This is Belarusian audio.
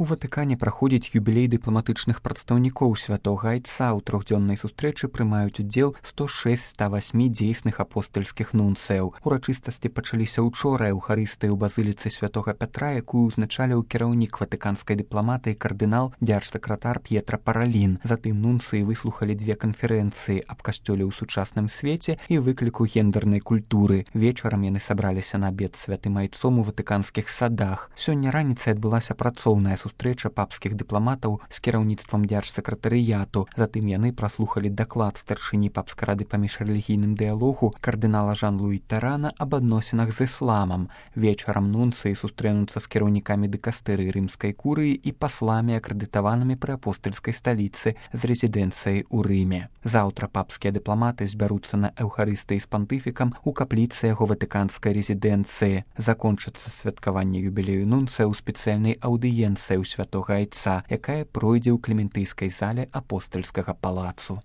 У Ватыкане праходзіць юбілей дыпламатычных прадстаўнікоў святога айца. У трохдзённай сустрэчы прымаюць удзел 106 108 дзейсных апостальскіх нунцыяў. Урачыстасці пачаліся ўчора эўхарыстыяй у базыліцы святога Пятра, якую ўзначаліў кіраўнік ватыканскай дыпламатыі кардынал дзяржсакратар П'етра Паралін. Затым нунцыі выслухалі дзве канферэнцыі аб касцёле ў сучасным свеце і выкліку гендернай культуры. Вечарам яны сабраліся на абед з святым айцом у ватыканскіх садах. Сёння раніцай адбылася працоўная сустрэча папскіх дыпламатаў з кіраўніцтвам дзяржсакратарыяту. Затым яны праслухалі даклад старшыні папскай рады па міжрэлігійным дыялогу кардынала Жан-Луі Тарана аб адносінах з ісламам. Вечарам нунцыі сустрэнуцца з кіраўнікамі дыкастэрыі рымскай курыі і пасламі, акрэдытаванымі пры апостальскай сталіцы з рэзідэнцыяй у Рыме. Заўтра папскія дыпламаты збяруцца на эўхарыстыі з пантыфікам у капліцы яго ватыканскай рэзідэнцыі. Закончыцца святкаванне юбілею нунцыя ў спецыяльнай аўдыенцыі ў святога айца, якая пройдзе ў клементыйскай зале апостальскага палацу.